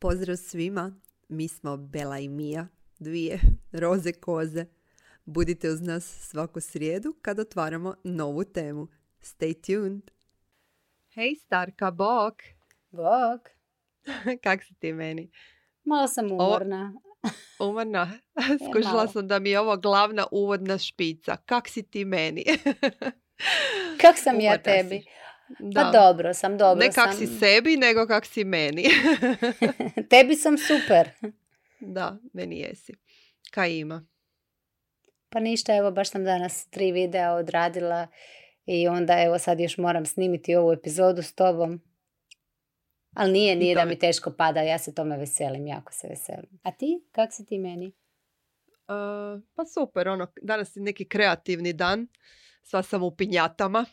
Pozdrav svima, mi smo Bela i Mija, dvije roze koze. Budite uz nas svaku srijedu kad otvaramo novu temu. Stay tuned! Hej starka, bok! Bog. Kak si ti meni? Malo sam umorna. Umorna? Skužila sam da mi je ovo glavna uvodna špica. Kak si ti meni? Kak sam ja tebi? Si. Da. Pa dobro sam. Ne kak si sebi, nego kak si meni. Tebi sam super. Da, meni jesi. Kaj ima? Pa ništa, evo baš sam danas 3 videa odradila i onda evo sad još moram snimiti ovu epizodu s tobom. Ali nije da mi teško pada, ja se tome veselim, jako se veselim. A ti? Kak si ti meni? Pa super, danas je neki kreativni dan, sva sam u pinjatama.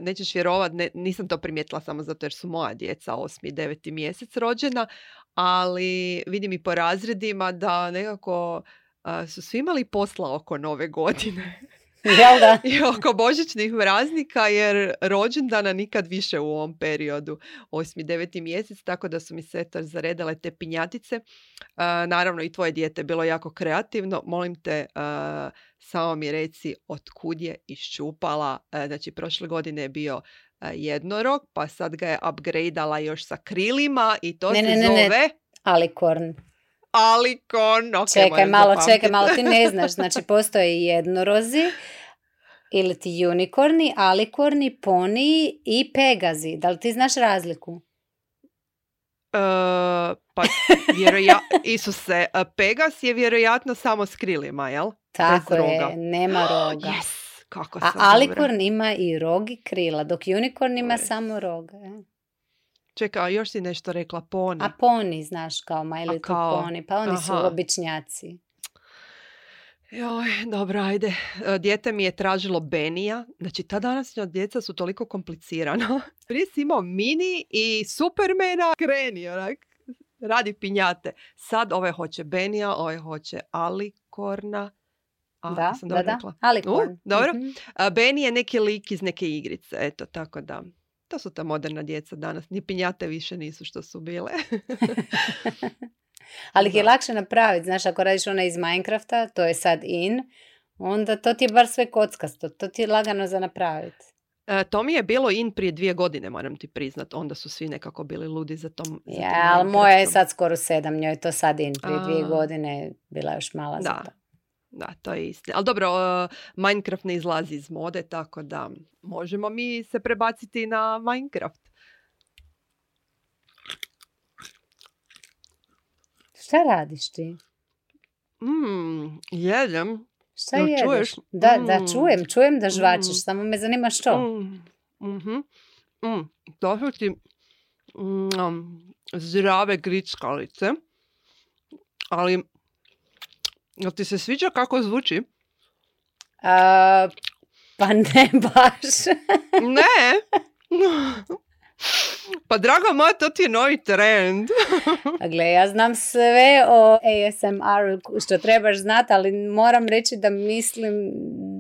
Nećeš vjerovat, nisam to primijetila samo zato jer su moja djeca 8. i 9. mjesec rođena, ali vidim i po razredima da nekako su svi imali posla oko nove godine. Jel da? I oko božićnih praznika, jer rođendana nikad više u ovom periodu, 8. i 9. mjesec, tako da su mi se zaredale te pinjatice. Naravno i tvoje dijete bilo jako kreativno. Molim te, samo mi reci od kud je iščupala. Znači, prošle godine je bio jednorog, pa sad ga je upgradeala još sa krilima i to zove... Alikorn. Alikorn, okay, čekaj malo, ti ne znaš, znači postoje jednorozi ili ti unikorni, alikorni, poniji i pegazi. Da li ti znaš razliku? Pa Isuse, Pegas je vjerojatno samo s krilima, jel? Tako je, nema roga. Yes, kako sam alikorn ima i rog i krila, dok unikorn ima samo roga. Čekaj, još si nešto rekla, poni. A poni, znaš, kao My Little Pony, pa oni su običnjaci. Joj, dobro, ajde. Dijete mi je tražilo Benija. Znači, ta današnja djeca su toliko komplicirana. Prije si imao Mini i Supermana, kreni, onak, radi pinjate. Sad ove hoće Benija, ove hoće Alikorna. Da, Alikorn. Dobro. Beni je neki lik iz neke igrice, eto, tako da... To su ta moderna djeca danas. Ni pinjate više nisu što su bile. Ali ih je lakše napraviti. Znaš, ako radiš ona iz Minecrafta, to je sad in, onda to ti je bar sve kockasto. To ti je lagano za napraviti. To mi je bilo in prije 2 godine, moram ti priznat. Onda su svi nekako bili ludi za tom. Ja, ali moja je sad skoro 7, njoj je to sad in. Prije 2 godine bila još mala za to. Da, to je istina. Ali dobro, Minecraft ne izlazi iz mode, tako da možemo mi se prebaciti na Minecraft. Šta radiš ti? Jedem. Šta jedeš? Čuješ? Da, čujem da žvačeš, samo me zanima što. To su ti zdrave grickalice, ali... Jel ti se sviđa kako zvuči? Pa ne baš. Ne? Pa draga moja, to ti je novi trend. Gle, ja znam sve o ASMR što trebaš znati, ali moram reći da mislim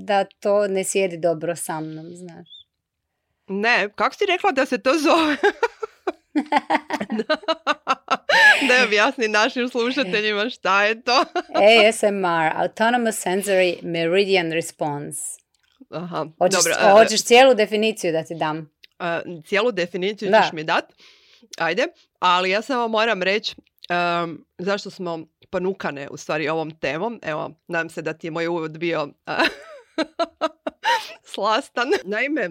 da to ne sjedi dobro sa mnom, znaš. Ne, kako si rekla da se to zove? Da objasni našim slušateljima šta je to. ASMR, Autonomous Sensory Meridian Response. Aha, hoćeš cijelu definiciju da ti dam? Cijelu definiciju ćeš mi dat. Ajde, ali ja samo moram reći zašto smo ponukane u stvari ovom temom. Evo, nadam se da ti je moj uvod bio slastan. Naime,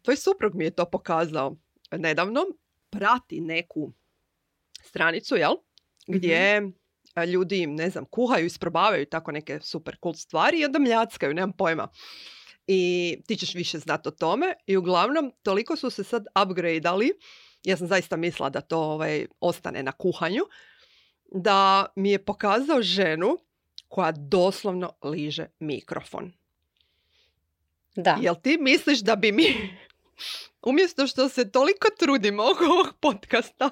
tvoj suprug mi je to pokazao nedavno. Prati neku stranicu, jel? Gdje ljudi, ne znam, kuhaju, isprobavaju tako neke super cool stvari i onda mljackaju, nemam pojma. I ti ćeš više znati o tome. I uglavnom, toliko su se sad upgradeali, ja sam zaista mislila da to ostane na kuhanju, da mi je pokazao ženu koja doslovno liže mikrofon. Da. Jel ti misliš da bi mi, umjesto što se toliko trudimo oko ovog podcasta,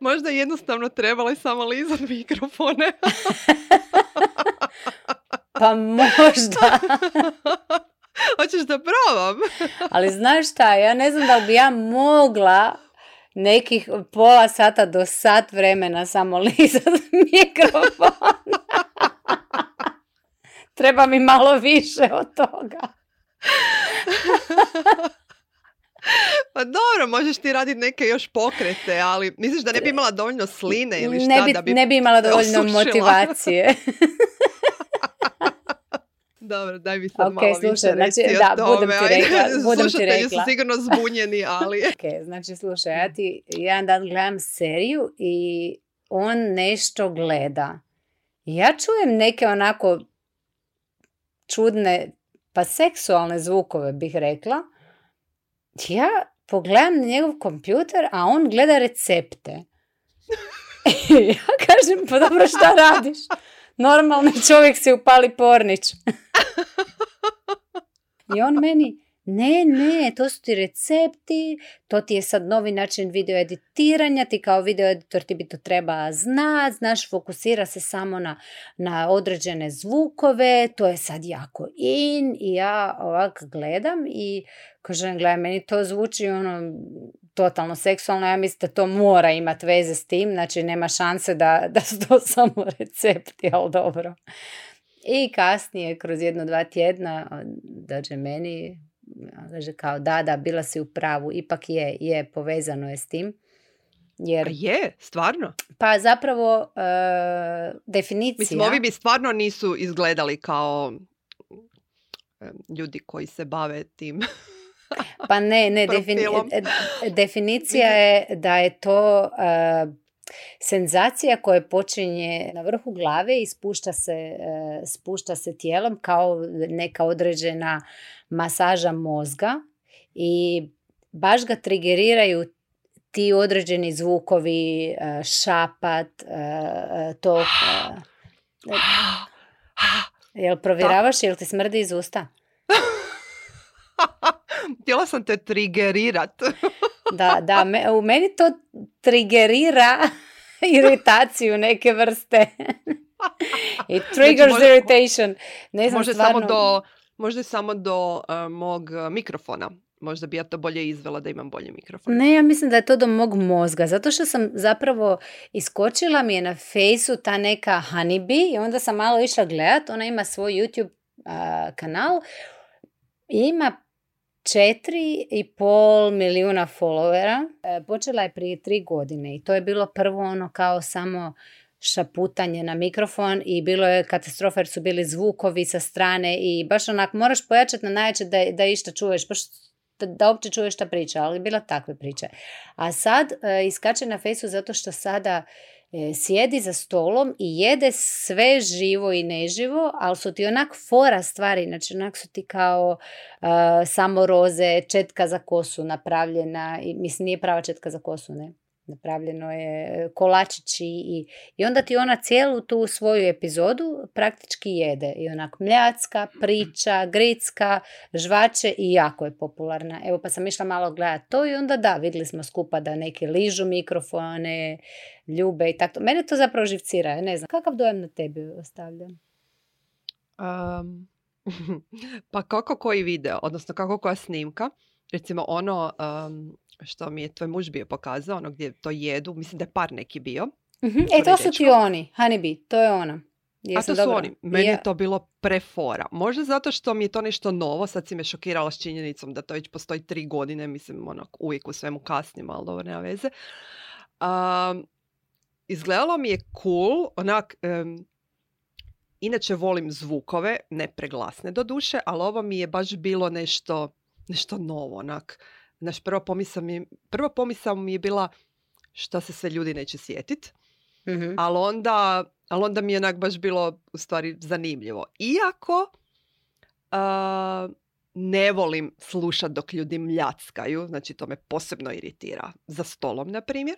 možda jednostavno trebali samo lizati mikrofone? Pa možda. Hoćeš da probam? Ali znaš šta, ja ne znam da li bi ja mogla nekih pola sata do sat vremena samo lizat mikrofon. Treba mi malo više od toga. Pa dobro, možeš ti raditi neke još pokrete, ali misliš da ne bi imala dovoljno sline ili šta da bi ne bi imala dovoljno osušila? Motivacije. Dobro, daj mi sad Ok, malo slušaj, više znači, reci da, o tome. budem ti rekla. Slušatelji su sigurno zbunjeni, ali... Ok, znači slušaj, ja ti jedan dan gledam seriju i on nešto gleda. Ja čujem neke onako čudne, pa seksualne zvukove bih rekla. Ja pogledam na njegov kompjuter, a on gleda recepte. Ja kažem, pa dobro, šta radiš? Normalni čovjek si upali pornić. I on meni, ne, to su ti recepti, to ti je sad novi način video editiranja, ti kao video editor ti bi to treba znati, znaš, fokusira se samo na određene zvukove, to je sad jako in. I ja ovak gledam i kažem, gledaj, meni to zvuči ono totalno seksualno, ja mislim da to mora imati veze s tim, znači nema šanse da su to samo recepti, ali dobro. I kasnije, kroz 1-2 tjedna, dođe meni, kaže kao da, bila si u pravu, ipak je, povezano je s tim. Jer, a je, stvarno? Pa zapravo definicija... Mislim, ovi bi stvarno nisu izgledali kao ljudi koji se bave tim. Pa ne, definicija je da je to senzacija koja počinje na vrhu glave i spušta se tijelom kao neka određena masaža mozga i baš ga trigeriraju ti određeni zvukovi, šapat, to... Jel provjeravaš, jel ti smrdi iz usta? Htjela sam te trigerirat. Da, u meni to trigerira iritaciju neke vrste. It triggers irritation. Ne znam, stvarno... Možda samo do mog mikrofona. Možda bi ja to bolje izvela da imam bolji mikrofon. Ne, ja mislim da je to do mog mozga. Zato što sam zapravo iskočila mi je na Faceu ta neka Honeybee i onda sam malo išla gledat. Ona ima svoj YouTube kanal i ima 4,5 milijuna followera. Počela je prije 3 godine i to je bilo prvo ono kao samo šaputanje na mikrofon i bilo je katastrofa jer su bili zvukovi sa strane i baš onak moraš pojačati na najjače da išta čuješ, baš da uopće čuješ šta priča, ali bila takve priče. A sad iskače na Faceu zato što sada sjedi za stolom i jede sve živo i neživo, ali su ti onak fora stvari, znači onak su ti kao samo roze, četka za kosu napravljena, i mislim nije prava četka za kosu, ne? Napravljeno je kolačići i onda ti ona cijelu tu svoju epizodu praktički jede i onak mljacka, priča, gricka, žvače i jako je popularna. Evo pa sam išla malo gledati to i onda da, vidjeli smo skupa da neki ližu mikrofone, ljube i tako. Mene to zapravo živcira, ja ne znam. Kakav dojam na tebi ostavlja? Pa kako koji video, odnosno kako koja snimka. Recimo ono... što mi je tvoj muž bio pokazao, ono gdje to jedu, mislim da je par neki bio. Mm-hmm. To su ti oni, Honeybee, to je ona. A to su oni, meni je to bilo prefora. Možda zato što mi je to nešto novo, sad si me šokirala s činjenicom da to već postoji 3 godine, mislim, uvijek u svemu kasnim, ali dobro, nema veze. Izgledalo mi je cool, onak, inače volim zvukove, ne preglasne do duše, ali ovo mi je baš bilo nešto novo, onak. Naš prva pomisao mi je bila šta se sve ljudi neće sjetit, mm-hmm. ali onda mi je onak baš bilo u stvari zanimljivo. Iako ne volim slušati dok ljudi mljackaju, znači to me posebno iritira za stolom, na primjer,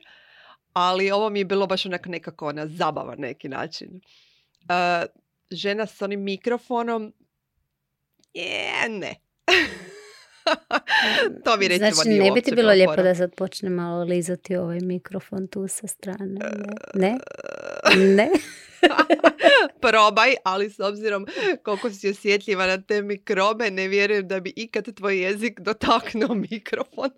ali ovo mi je bilo baš onak nekako zabava na neki način. Žena s onim mikrofonom, ne. To mi recimo znači, nije ne bi ti bilo lijepo da sad počne malo lizati ovaj mikrofon tu sa strane? Ne? Probaj, ali s obzirom koliko si osjetljiva na te mikrobe, ne vjerujem da bi ikad tvoj jezik dotaknuo mikrofon.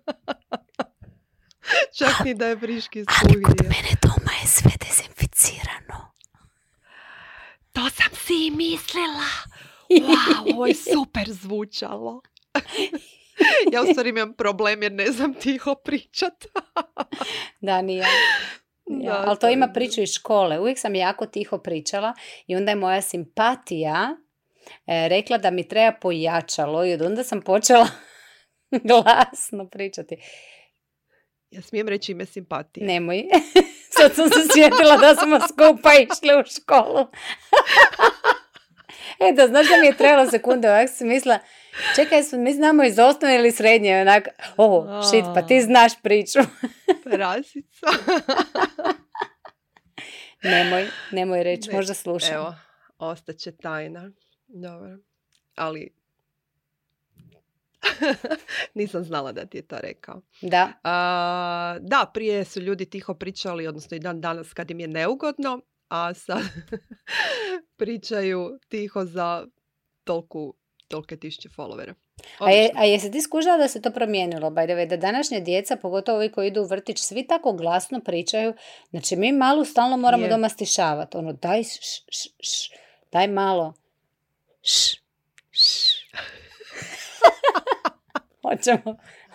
Čak ni da je friški Ali kod skuhio. mene doma je sve dezinficirano. To sam si i mislila. Wow, ovo je super zvučalo. Ja u stvari imam problem jer ne znam tiho pričat. Da, nije. Ja, Da, ali to ima je priču iz škole. Uvijek sam jako tiho pričala i onda je moja simpatija rekla da mi treba pojačalo i od onda sam počela glasno pričati. Ja smijem reći ime simpatije. Nemoj. Sad sam se sjetila da smo skupa išli u školu. Eto, znaš da mi je trebalo sekunde, ovak sam mislila, čekaj, mi znamo iz osnovne ili srednje, onak, shit, pa ti znaš priču. Prasica. Nemoj reći, Ne, možda slušam. Evo, ostaće tajna. Dobro. Ali nisam znala da ti je to rekao. Da. Da, prije su ljudi tiho pričali, odnosno i dan danas kad im je neugodno, a sad pričaju tiho za tolike tisuće followera. A jesi ti skužila da se to promijenilo, by the way, da današnja djeca, pogotovo ovi koji idu u vrtić, svi tako glasno pričaju, znači mi malu stalno moramo doma stišavati, ono, daj daj malo,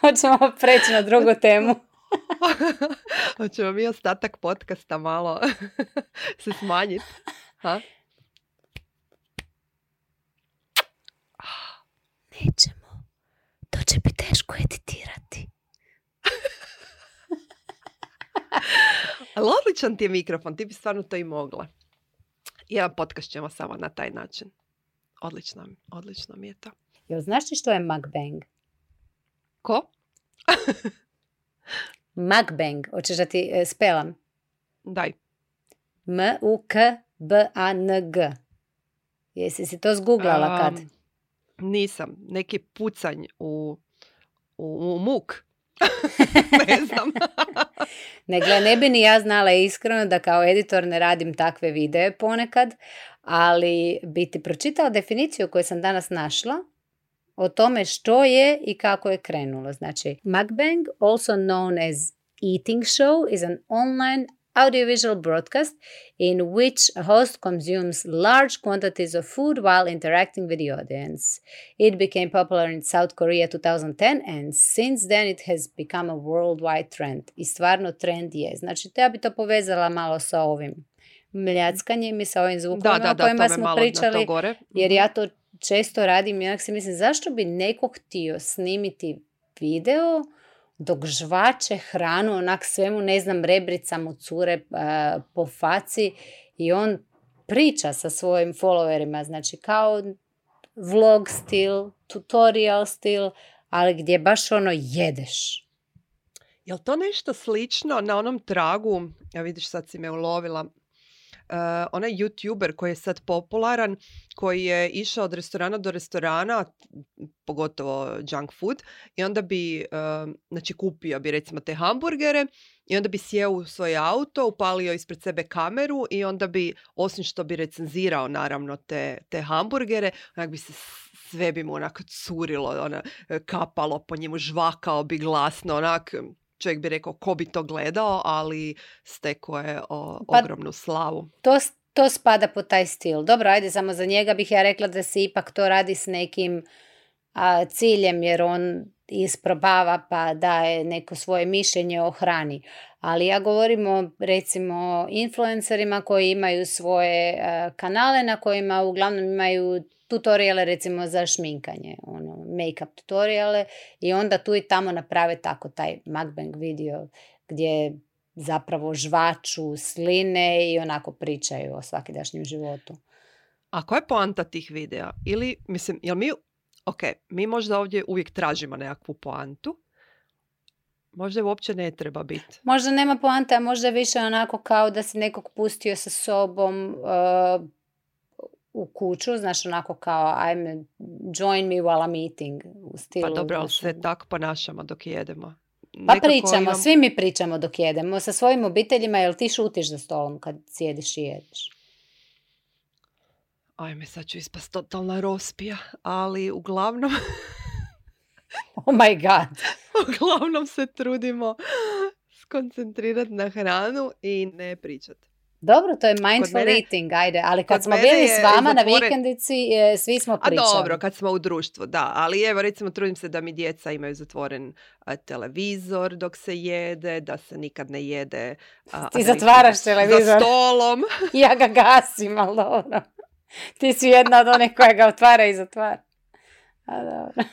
Hoćemo preći na drugu temu. Hoćemo mi ostatak podcasta malo se smanjiti. Ha? Nećemo. To će biti teško editirati. Ali odličan ti je mikrofon, ti bi stvarno to i mogla. Jedan podcast ćemo samo na taj način. Odlično mi je to. Jel znaš ti što je mukbang? Ko? Mukbang, hoćeš da ti spelam? Daj. M-U-K-B-A-N-G. Jesi si to zguglala kad? Nisam. Neki pucanj u muk. Ne znam. Ne bi ni ja znala iskreno da kao editor ne radim takve videe ponekad, ali bi ti pročitala definiciju koju sam danas našla o tome što je i kako je krenulo. Znači, mukbang, also known as eating show, is an online audiovisual broadcast in which a host consumes large quantities of food while interacting with the audience. It became popular in South Korea 2010 and since then it has become a worldwide trend. I stvarno trend je. Znači, ja bi to povezala malo sa ovim mljackanjem i sa ovim zvukovima o kojima smo pričali, jer ja to često radim i onak si mislim, zašto bi neko htio snimiti video dok žvače hranu, onak svemu, ne znam, rebrica mu cure po faci i on priča sa svojim followerima, znači kao vlog stil, tutorial stil, ali gdje baš ono jedeš. Jel to nešto slično na onom tragu, ja vidiš sad si me ulovila, onaj YouTuber koji je sad popularan, koji je išao od restorana do restorana, pogotovo junk food, i onda bi, znači kupio bi recimo te hamburgere i onda bi sjeo u svoj auto, upalio ispred sebe kameru i onda bi, osim što bi recenzirao naravno te hamburgere, onak bi se sve bi mu onako curilo, kapalo po njemu, žvakao bi glasno, onak... Čovjek bi rekao ko bi to gledao, ali stekao je ogromnu slavu. To spada po taj stil. Dobro, ajde, samo za njega bih ja rekla da se ipak to radi s nekim ciljem, jer on isprobava pa daje neko svoje mišljenje o hrani. Ali ja govorim o, recimo, influencerima koji imaju svoje kanale na kojima uglavnom imaju tutoriale recimo za šminkanje, make-up tutoriale, i onda tu i tamo naprave tako taj mukbang video gdje zapravo žvaču, sline i onako pričaju o svakidašnjem životu. A koja je poanta tih videa? Ili, mislim, jel mi možda ovdje uvijek tražimo nekakvu poantu, možda je uopće ne treba biti. Možda nema poante, a možda više onako kao da si nekog pustio sa sobom u kuću, znaš, onako kao join me while I'm eating. U stilu, pa dobro, ali se tako ponašamo dok jedemo. Pa pričamo, svi mi pričamo dok jedemo sa svojim obiteljima, jel ti šutiš za stolom kad sjediš i jedeš? Ajme, sad ću ispast totalna rospija, ali uglavnom... Oh my god. Uglavnom se trudimo skoncentrirati na hranu i ne pričati. Dobro, to je mindful eating, ajde, ali kad smo bili s vama na vikendici, svi smo pričali. A dobro, kad smo u društvu, da, ali evo recimo trudim se da mi djeca imaju zatvoren televizor dok se jede, da se nikad ne jede. Ti zatvaraš televizor. Za stolom. Ja ga gasim, ali dobro. Ti si jedna od onih koja ga otvara i zatvara. A dobro.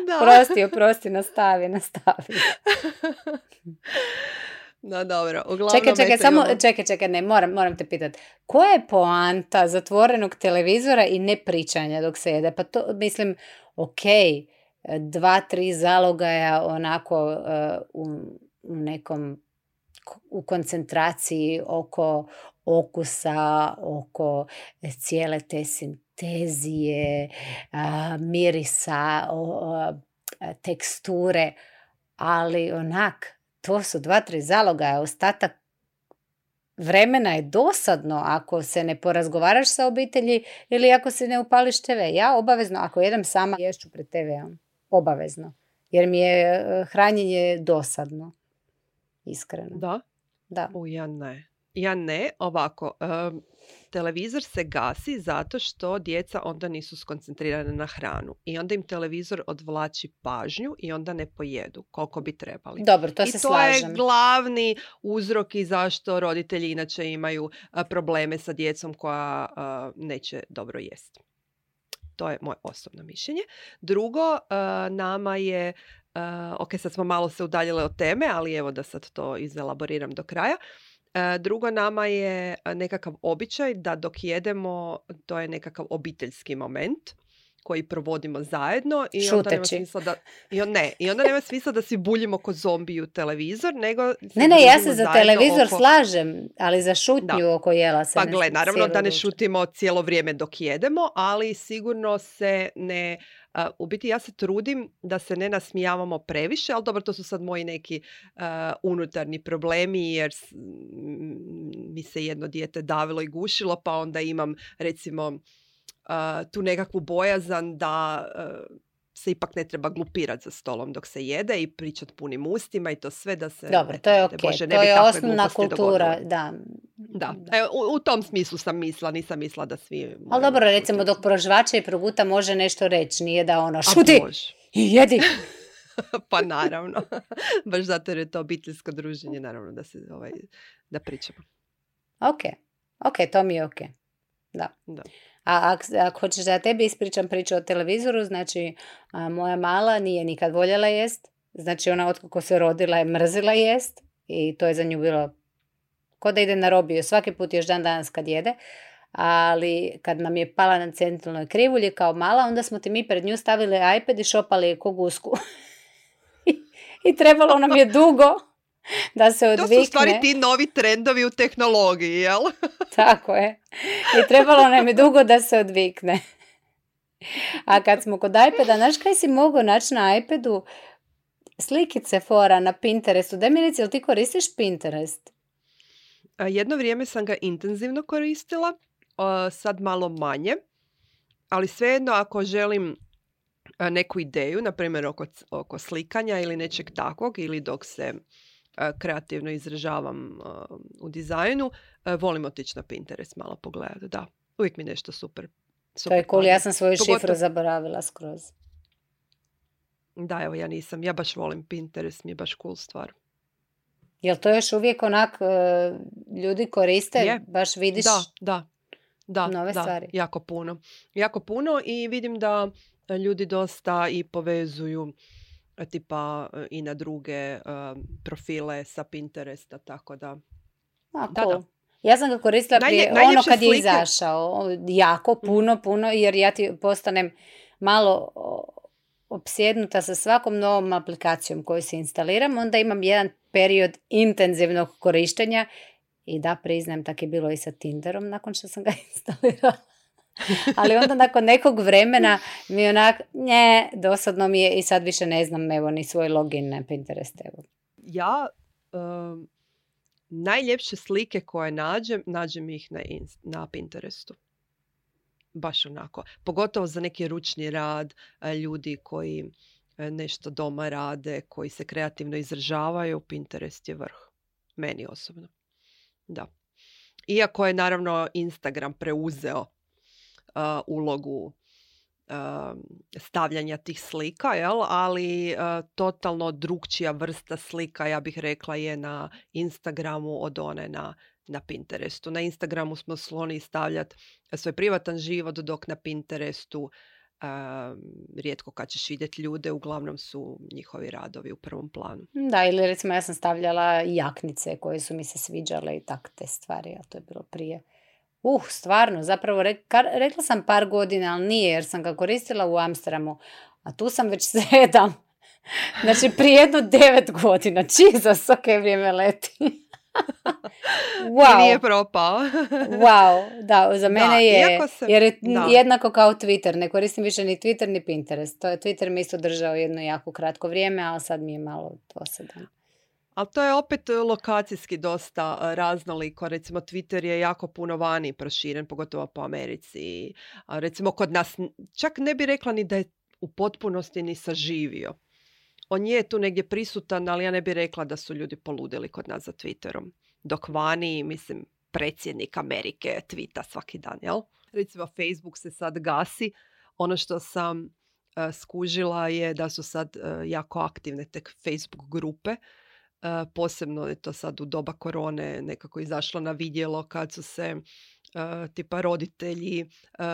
Da. Prosti, nastavi. No dobro, uglavnom... Čekaj, ne, moram te pitati. Koja je poanta zatvorenog televizora i ne pričanja dok se jede? Pa to, mislim, ok, 2-3 zalogaja onako u koncentraciji oko okusa, oko cijele te sintezije, mirisa, teksture, ali onak, to su 2-3 zalogaja, ostatak vremena je dosadno ako se ne porazgovaraš sa obitelji ili ako se ne upališ TV. Ja obavezno, ako jedem sama, ješću pred TV-om. Obavezno. Jer mi je hranjenje dosadno. Iskreno. Da? Ja ne. Ovako, televizor se gasi zato što djeca onda nisu skoncentrirane na hranu. I onda im televizor odvlači pažnju i onda ne pojedu koliko bi trebali. Dobro, to se slažem. I to je glavni uzrok i zašto roditelji inače imaju probleme sa djecom koja neće dobro jesti. To je moje osobno mišljenje. Drugo, nama je, ok, sad smo malo se udaljile od teme, ali evo da sad to izelaboriram do kraja. Drugo, nama je nekakav običaj da dok jedemo, to je nekakav obiteljski moment koji provodimo zajedno i onda nema smisla da i onda nema smisla da si buljimo ko zombi u televizor, nego ne, ja se za televizor slažem, ali za šutnju oko jela se pa gle, naravno da ne šutimo cijelo vrijeme dok jedemo, ali sigurno se ne u biti ja se trudim da se ne nasmijavamo previše, ali dobro, to su sad moji neki unutarnji problemi jer mi se jedno dijete davilo i gušilo, pa onda imam recimo tu nekakvu bojazan da se ipak ne treba glupirati za stolom dok se jede i pričati punim ustima i to sve da se... Dobro, to je ok, to je osnovna kultura, da. U tom smislu sam mislila, nisam mislila da svi... Ali dobro, recimo dok prožvača i proguta može nešto reći, nije da ono šuti i jedi. Pa naravno, baš zato jer je to obiteljsko druženje, naravno da se da pričamo. Ok, to mi je ok. Da. A ako hoćeš da ja tebi ispričam priču o televizoru, znači moja mala nije nikad voljela jest, znači ona otkako se rodila je mrzila jest i to je za nju bilo ko da ide na robiju, svaki put još dan danas kad jede, ali kad nam je pala na centralnoj krivulji kao mala, onda smo ti mi pred nju stavili iPad i šopali ko gusku. I trebalo nam je dugo da se odvikne. To su u stvari ti novi trendovi u tehnologiji, jel? Tako je. I trebalo nam je dugo da se odvikne. A kad smo kod iPada, znaš kaj si mogao naći na iPadu? Slikice fora na Pinterestu. Daj mi reci, jel ti koristiš Pinterest? Jedno vrijeme sam ga intenzivno koristila, sad malo manje. Ali svejedno ako želim neku ideju, na primjer oko slikanja ili nečeg takvog, ili dok se kreativno izražavam u dizajnu, volim otići na Pinterest malo pogledati, da. Uvijek mi nešto super. To je cool, ja sam svoju šifru zaboravila skroz. Da, evo ja baš volim Pinterest, mi je baš cool stvar. Jel to još uvijek onak ljudi koriste, baš vidiš nove stvari? Jako puno i vidim da ljudi dosta i povezuju tipa i na druge profile sa Pinteresta, tako da... Cool. Ja sam ga koristila prije ono kad je izašao. Jako, puno, jer ja ti postanem malo opsjednuta sa svakom novom aplikacijom koju se instaliram. Onda imam jedan period intenzivnog korištenja i da priznajem, tak je bilo i sa Tinderom nakon što sam ga instalirala. Ali onda nakon nekog vremena mi onak, dosadno mi je i sad više ne znam ni svoj login na Pinterest. Ja najljepše slike koje nađem ih na Pinterestu. Baš onako. Pogotovo za neki ručni rad, ljudi koji nešto doma rade, koji se kreativno izražavaju, Pinterest je vrh. Meni osobno. Da. Iako je naravno Instagram preuzeo ulogu stavljanja tih slika, jel? Ali totalno drukčija vrsta slika, ja bih rekla, je na Instagramu od one na Pinterestu. Na Instagramu smo skloni stavljati svoj privatan život, dok na Pinterestu rijetko kad ćeš vidjeti ljude, uglavnom su njihovi radovi u prvom planu. Da, ili recimo ja sam stavljala jaknice koje su mi se sviđale i tak te stvari, a to je bilo prije. Stvarno, zapravo rekla sam par godina, ali nije, jer sam ga koristila u Amsterdamu, a tu sam već 7. Znači, prije jedno 9 godina. Jesus, ok, vrijeme leti. Wow. I nije propao. Wow, da, za mene je, jer je da. jednako kao Twitter. Ne koristim više ni Twitter, ni Pinterest. Twitter mi isto držao jedno jako kratko vrijeme, ali sad mi je malo dosadan. Ali to je opet lokacijski dosta raznoliko. Recimo Twitter je jako puno vani proširen, pogotovo po Americi. A recimo kod nas, čak ne bi rekla ni da je u potpunosti ni saživio. On je tu negdje prisutan, ali ja ne bi rekla da su ljudi poludili kod nas za Twitterom. Dok vani, mislim, predsjednik Amerike tvita svaki dan, jel? Recimo Facebook se sad gasi. Ono što sam skužila je da su sad jako aktivne tek Facebook grupe. Posebno je to sad u doba korone nekako izašlo na vidjelo kad su se tipa roditelji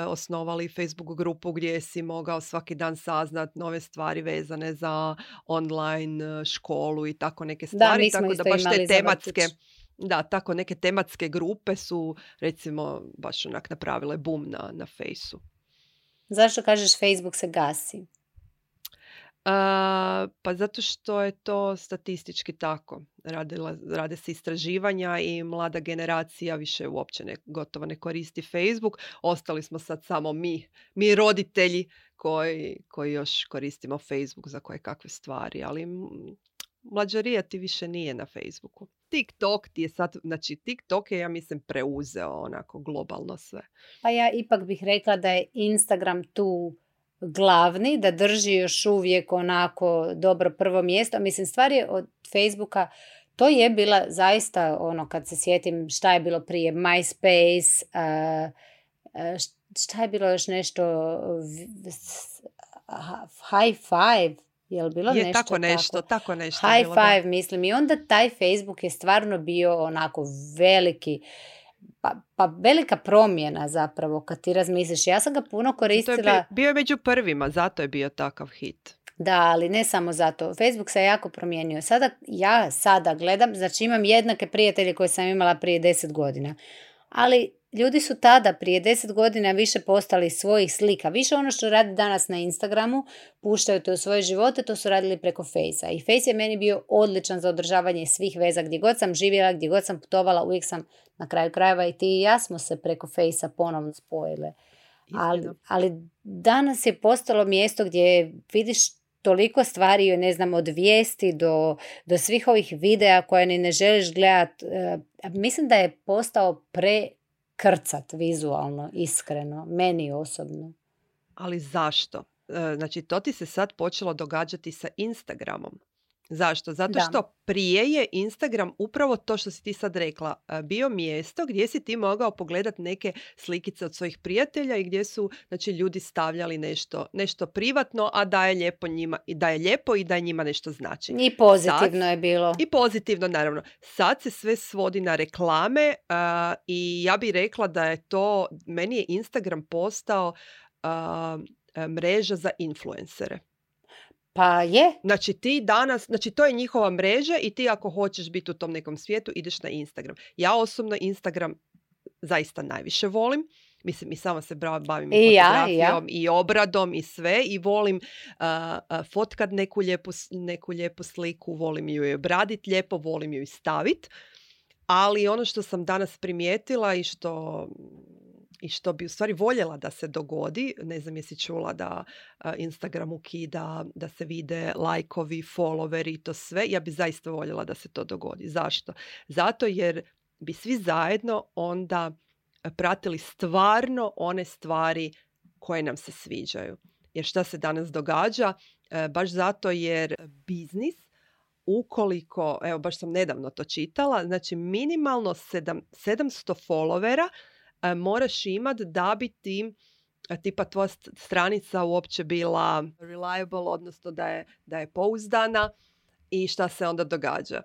osnovali Facebook grupu gdje si mogao svaki dan saznat nove stvari vezane za online školu i tako neke stvari. Da, tako da baš te tematske, da, tako neke tematske grupe su recimo baš onak napravile boom na Fejsu. Zašto kažeš Facebook se gasi? Pa zato što je to statistički tako. Rade se istraživanja i mlada generacija više uopće gotovo ne koristi Facebook. Ostali smo sad samo mi roditelji koji još koristimo Facebook za koje kakve stvari, ali mlađarija ti više nije na Facebooku. TikTok ti je sad, znači TikTok je, ja mislim, preuzeo onako globalno sve. Pa ja ipak bih rekla da je Instagram tu glavni, da drži još uvijek onako dobro prvo mjesto. Mislim, stvar je od Facebooka, to je bila zaista ono, kad se sjetim šta je bilo prije, MySpace, šta je bilo još nešto, High Five, je li bilo je, nešto tako nešto High bilo, Five, da. mislim, i onda taj Facebook je stvarno bio onako veliki, pa velika promjena zapravo kad ti razmisliš. Ja sam ga puno koristila. Bio je među prvima, zato je bio takav hit. Da, ali ne samo zato. Facebook se jako promijenio. Ja sada gledam, znači imam jednake prijatelje koje sam imala prije 10 godina. Ali ljudi su tada prije 10 godina više postali svojih slika. Više ono što radi danas na Instagramu, puštaju to u svoje živote, to su radili preko Fejsa. I Fejs je meni bio odličan za održavanje svih veza. Gdje god sam živjela, gdje god sam putovala, uvijek sam na kraju krajeva i ti i ja smo se preko Fejsa ponovno spojile. Ali danas je postalo mjesto gdje vidiš toliko stvari, ne znam, od vijesti do svih ovih videa koje ni ne želiš gledati. Mislim da je postao prekrcat vizualno, iskreno, meni osobno. Ali zašto? Znači, to ti se sad počelo događati sa Instagramom. Zašto? Zato što prije je Instagram upravo to što si ti sad rekla, bio mjesto gdje si ti mogao pogledati neke slikice od svojih prijatelja i gdje su, znači, ljudi stavljali nešto privatno, a da je lijepo njima, i da je lijepo i da je njima nešto znači. I pozitivno je bilo. I pozitivno, naravno. Sad se sve svodi na reklame i ja bih rekla da je to, meni je Instagram postao mreža za influencere. Pa je. Znači ti danas, znači to je njihova mreža i ti ako hoćeš biti u tom nekom svijetu ideš na Instagram. Ja osobno Instagram zaista najviše volim. Mislim, i sama se bavim i fotografijom i obradom i sve i volim fotkat neku lijepu sliku, volim ju je obraditi lijepo, volim ju i staviti. Ali ono što sam danas primijetila i što bi u stvari voljela da se dogodi, ne znam jesi čula da Instagram ukida, da se vide lajkovi, followeri i to sve, ja bi zaista voljela da se to dogodi. Zašto? Zato jer bi svi zajedno onda pratili stvarno one stvari koje nam se sviđaju. Jer šta se danas događa? baš zato jer biznis, ukoliko, evo baš sam nedavno to čitala, znači minimalno 700 followera moraš imati da bi ti tipa tvoja stranica uopće bila reliable, odnosno da je pouzdana. I šta se onda događa?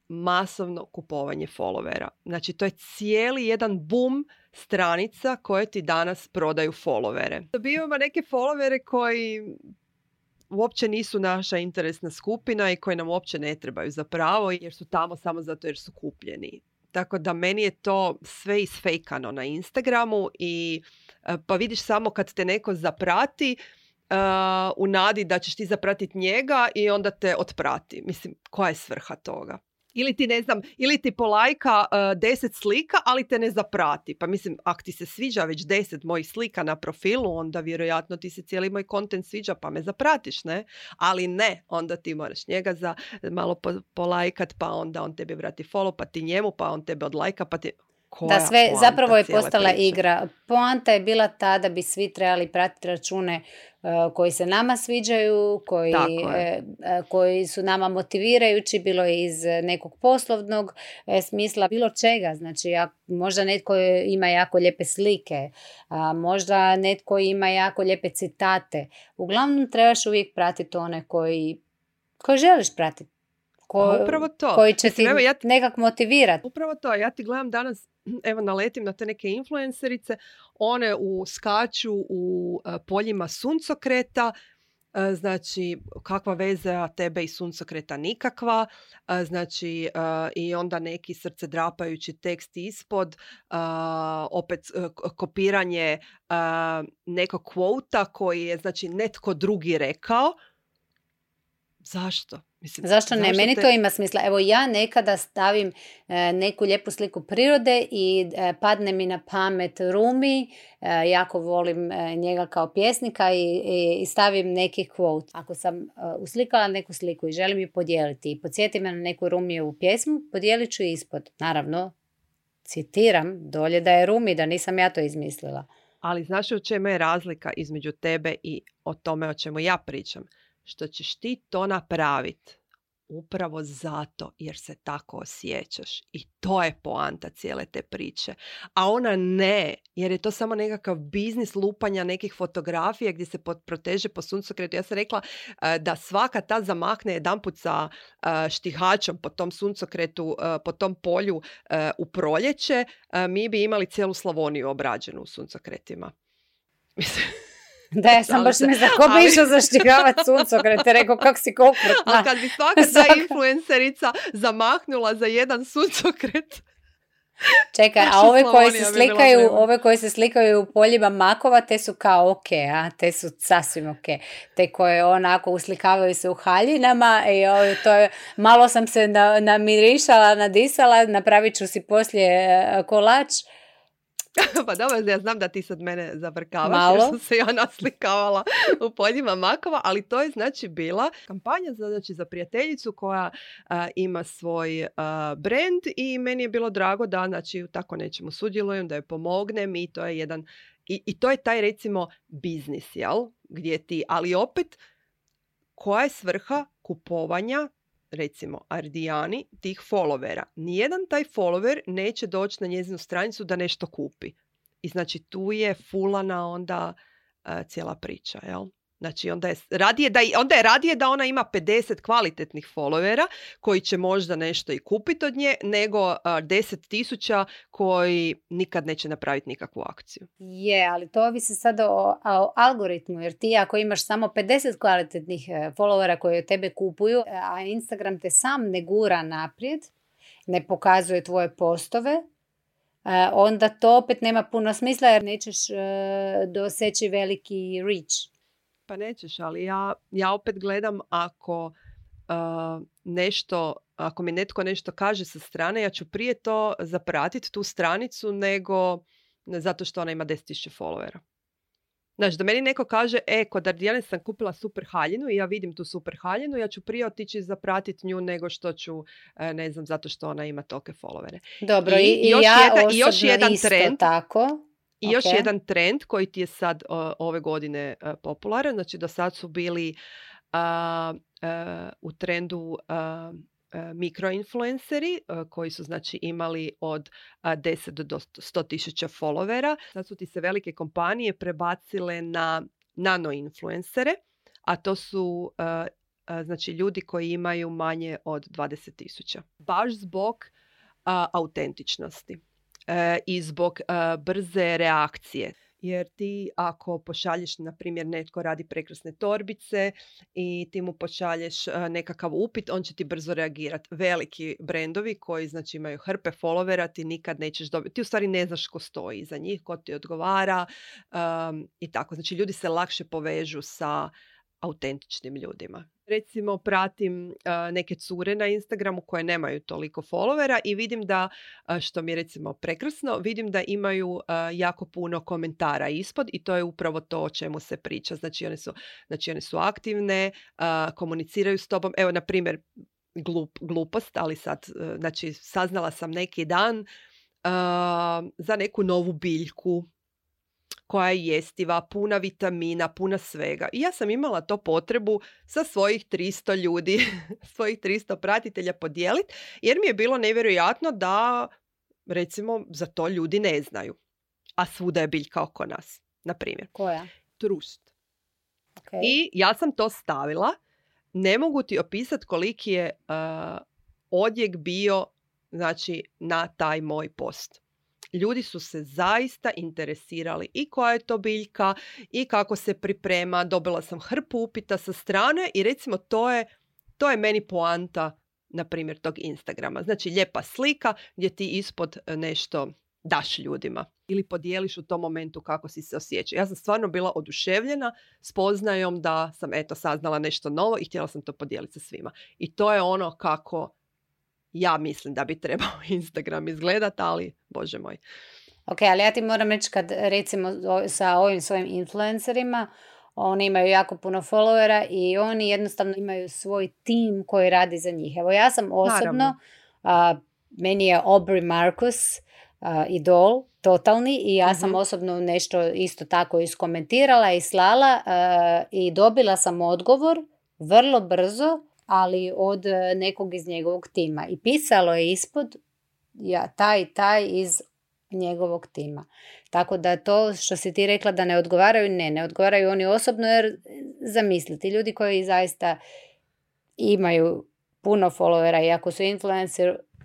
Masovno kupovanje followera. Znači to je cijeli jedan boom stranica koje ti danas prodaju followere. Dobivamo neke followere koji uopće nisu naša interesna skupina i koji nam uopće ne trebaju zapravo jer su tamo samo zato jer su kupljeni. Tako da meni je to sve isfejkano na Instagramu i pa vidiš samo kad te neko zaprati u nadi da ćeš ti zapratiti njega i onda te otprati. Mislim, koja je svrha toga? Ili ti, ne znam, ili ti polajka 10 slika, ali te ne zaprati. Pa mislim, ako ti se sviđa već 10 mojih slika na profilu, onda vjerojatno ti se cijeli moj kontent sviđa pa me zapratiš, ne? Ali ne, onda ti moraš njega malo polajkat, pa onda on tebi vrati follow, pa ti njemu, pa on tebe odlajka, pa ti... Da, sve zapravo je postala igra. Poanta je bila ta da bi svi trebali pratiti račune koji se nama sviđaju, koji su nama motivirajući, bilo iz nekog poslovnog smisla, bilo čega. Znači, možda netko ima jako lijepe slike, možda netko ima jako lijepe citate. Uglavnom trebaš uvijek pratiti one koji želiš pratiti. Upravo to. Koji će ti nekak motivirati. Upravo to. Ja ti gledam danas, evo naletim na te neke influencerice, one skaču u poljima suncokreta, znači kakva veza tebe i suncokreta nikakva, znači i onda neki srcedrapajući tekst ispod, opet kopiranje nekog kvota koji je znači netko drugi rekao. Zašto? Mislim, zašto ne? Meni to ima smisla. Evo ja nekada stavim neku lijepu sliku prirode i padne mi na pamet Rumi, jako volim njega kao pjesnika i stavim neki quote. Ako sam uslikala neku sliku i želim ju podijeliti i podsjeti me na neku Rumijevu pjesmu, podijelit ću ispod. Naravno, citiram dolje da je Rumi, da nisam ja to izmislila. Ali znaš u čemu je razlika između tebe i o tome o čemu ja pričam? Što ćeš ti to napraviti upravo zato jer se tako osjećaš. I to je poanta cijele te priče. A ona ne, jer je to samo nekakav biznis lupanja nekih fotografija gdje se proteže po suncokretu. Ja sam rekla da svaka ta zamahne jedanput sa štihačom po tom suncokretu, po tom polju u proljeće, mi bi imali cijelu Slavoniju obrađenu u suncokretima. Mislim... Da, ja sam baš mislila, ko bi išao zaštigavati suncokrete, rekao kako si okrutna. A kad bi svaka ta influencerica zamahnula za jedan suncokret... Čekaj, a ove koji se slikaju u poljima makova, te su kao ok, te su sasvim ok. Te koje onako uslikavaju se u haljinama i to je, malo sam se namirišala, nadisala, napravit ću si poslije kolač. Pa dobro, ja znam da ti sad mene zavrkavaš jer sam se ja naslikavala u poljima makova, ali to je znači bila kampanja za prijateljicu koja ima svoj brand i meni je bilo drago da znači tako nečemu sudjelujem, da joj pomognem i to je jedan i to je taj recimo biznis, jel? Gdje ti, ali opet koja je svrha kupovanja recimo Ardijani tih followera. Nijedan taj follower neće doći na njezinu stranicu da nešto kupi. I znači tu je fulana onda cijela priča, jel? Znači onda je radije da ona ima 50 kvalitetnih followera koji će možda nešto i kupiti od nje nego 10,000 koji nikad neće napraviti nikakvu akciju. Je, ali to ovisi sad o algoritmu, jer ti ako imaš samo 50 kvalitetnih followera koji od tebe kupuju, a Instagram te sam ne gura naprijed, ne pokazuje tvoje postove, onda to opet nema puno smisla jer nećeš doseći veliki reach. Pa nećeš, ali ja opet gledam ako ako mi netko nešto kaže sa strane, ja ću prije to zapratiti tu stranicu nego zato što ona ima 10,000 followera. Znači, da meni neko kaže, kod Ardijane sam kupila super haljinu i ja vidim tu super haljinu, ja ću prije otići zapratiti nju nego što ću, ne znam, zato što ona ima tolike followere. Dobro, i još jedan trend, tako. I još jedan trend koji ti je sad ove godine popularan, znači do sad su bili u trendu mikroinfluenceri koji su znači imali od 10 do 100.000 followera. Sad su ti se velike kompanije prebacile na nanoinfluencere, a to su znači ljudi koji imaju manje od 20.000. Baš zbog autentičnosti i zbog brze reakcije. Jer ti ako pošalješ, na primjer, netko radi prekrasne torbice i ti mu pošalješ nekakav upit, on će ti brzo reagirati. Veliki brendovi koji znači imaju hrpe followera, ti nikad nećeš dobiti. Ti u stvari ne znaš ko stoji iza njih, ko ti odgovara i tako. Znači ljudi se lakše povežu sa autentičnim ljudima. Recimo pratim neke cure na Instagramu koje nemaju toliko followera i vidim da, što mi je recimo prekrasno, vidim da imaju jako puno komentara ispod i to je upravo to o čemu se priča. Znači one su aktivne, komuniciraju s tobom. Evo, na primjer, glupost, ali sad, znači, saznala sam neki dan za neku novu biljku koja je jestiva, puna vitamina, puna svega. I ja sam imala to potrebu sa svojih 300 ljudi, svojih 300 pratitelja podijeliti, jer mi je bilo nevjerojatno da, recimo, za to ljudi ne znaju. A svuda je biljka oko nas, na primjer. Koja? Trust. Okay. I ja sam to stavila. Ne mogu ti opisati koliki je odjek bio, znači, na taj moj post. Ljudi su se zaista interesirali i koja je to biljka i kako se priprema. Dobila sam hrpu upita sa strane i recimo to je meni poanta, na primjer, tog Instagrama. Znači lijepa slika gdje ti ispod nešto daš ljudima ili podijeliš u tom momentu kako si se osjećao. Ja sam stvarno bila oduševljena spoznajom da sam saznala nešto novo i htjela sam to podijeliti sa svima. I to je ono kako ja mislim da bi trebao Instagram izgledati, ali bože moj. Ok, ali ja ti moram reći kad recimo sa ovim svojim influencerima, oni imaju jako puno followera i oni jednostavno imaju svoj tim koji radi za njih. Evo ja sam osobno, meni je Aubrey Marcus idol totalni i ja sam osobno nešto isto tako iskomentirala i slala i dobila sam odgovor vrlo brzo, ali od nekog iz njegovog tima. I pisalo je ispod taj iz njegovog tima. Tako da to što si ti rekla da ne odgovaraju, ne odgovaraju oni osobno, jer zamisliti, ljudi koji zaista imaju puno followera i ako su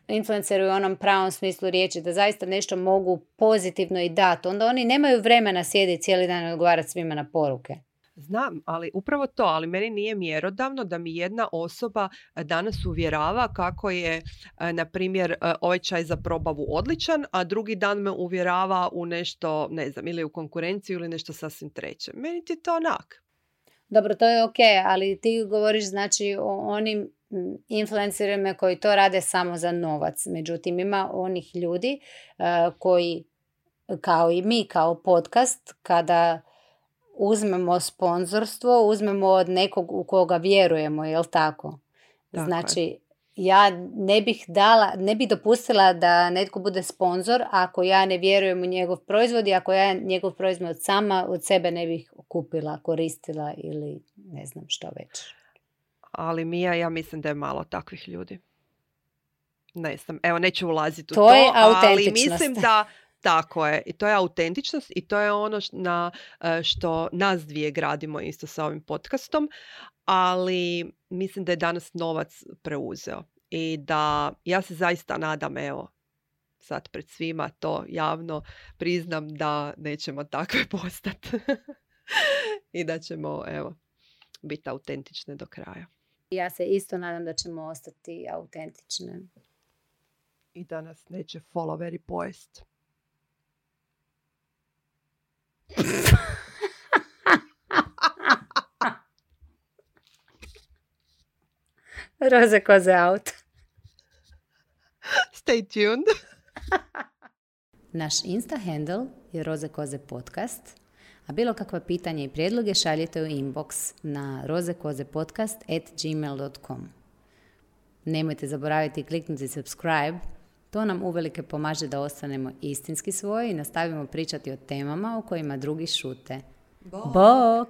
influenceri u onom pravom smislu riječi, da zaista nešto mogu pozitivno i dati, onda oni nemaju vremena sjediti cijeli dan i odgovarati svima na poruke. Znam, ali upravo to, ali meni nije mjerodavno da mi jedna osoba danas uvjerava kako je, na primjer, ovaj čaj za probavu odličan, a drugi dan me uvjerava u nešto, ne znam, ili u konkurenciju ili nešto sasvim treće. Meni ti to onak. Dobro, to je ok, ali ti govoriš znači o onim influencerima koji to rade samo za novac. Međutim, ima onih ljudi koji, kao i mi, kao podcast, kada uzmemo sponzorstvo, uzmemo od nekog u koga vjerujemo, jel tako? Znači, ja ne bih dopustila da netko bude sponzor ako ja ne vjerujem u njegov proizvod i ako ja njegov proizvod sama od sebe ne bih kupila, koristila ili ne znam što već. Ali Mija, ja mislim da je malo takvih ljudi. Ne znam, evo neću ulaziti u to je ali mislim da tako je. I to je autentičnost i to je ono što nas dvije gradimo isto sa ovim podcastom, ali mislim da je danas novac preuzeo. I da ja se zaista nadam, evo, sad pred svima to javno priznam da nećemo takve postati. I da ćemo, evo, biti autentične do kraja. Ja se isto nadam da ćemo ostati autentične. I da nas neće followeri pojest. Roze koze out. Stay tuned. Naš Insta handle je Roze koze podcast, a bilo kakva pitanja i prijedloge šaljite u inbox na rozekozepodcast@gmail.com. Nemojte zaboraviti kliknuti subscribe, to nam uvelike pomaže da ostanemo istinski svoji i nastavimo pričati o temama o kojima drugi šute. Bok!